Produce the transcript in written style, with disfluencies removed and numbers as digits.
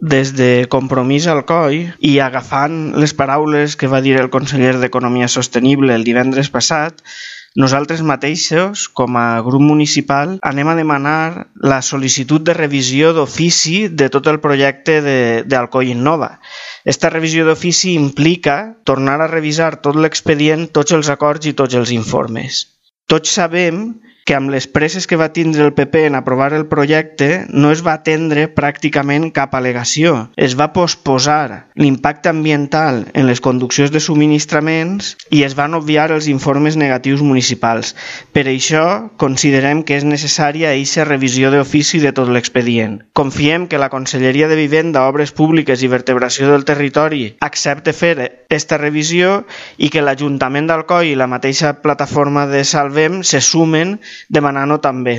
des de Compromís Alcoi i agafant les paraules que va dir el conseller d'Economia Sostenible el divendres passat, nosaltres mateixos, com a grup municipal, anem a demanar la sol·licitud de revisió d'ofici de tot el projecte d'Alcoi Innova. Esta revisió d'ofici implica tornar a revisar tot l'expedient, tots els acords i tots els informes. Tots sabem que amb les presses que va tindre el PP en aprovar el projecte no es va atendre pràcticament cap al·legació. Es va posposar l'impacte ambiental en les conduccions de subministraments i es van obviar els informes negatius municipals. Per això considerem que és necessària aquesta revisió d'ofici de tot l'expedient. Confiem que la Conselleria de Vivenda, Obres Públiques i Vertebració del Territori accepte fer aquesta revisió i que l'Ajuntament d'Alcoi i la mateixa plataforma de Salvem se sumen demanant-ho també.